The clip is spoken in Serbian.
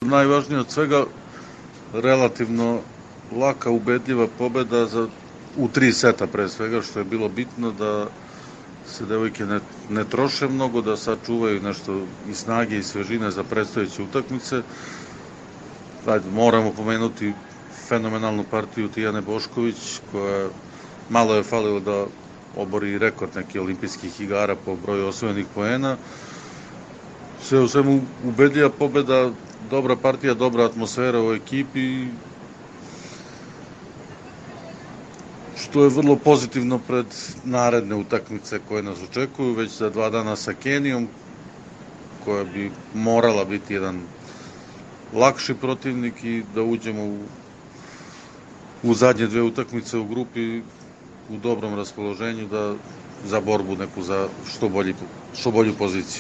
Najvažnije od svega, relativno laka, ubedljiva pobeda u 3 seta pre svega, što je bilo bitno da se devojke ne troše mnogo, da sačuvaju nešto i snage i svežine za predstojeće utakmice. Moramo pomenuti fenomenalnu partiju Tijane Bošković, koja malo je falilo da obori rekord nekih olimpijskih igara po broju osvojenih poena. Sve u svemu ubedljiva pobeda, dobra partija, dobra atmosfera u ekipi, što je vrlo pozitivno pred naredne utakmice koje nas očekuju već za 2 dana sa Kenijom, koja bi morala biti jedan lakši protivnik i da uđemo u zadnje 2 utakmice u grupi u dobrom raspoloženju za borbu neku za što bolju poziciju.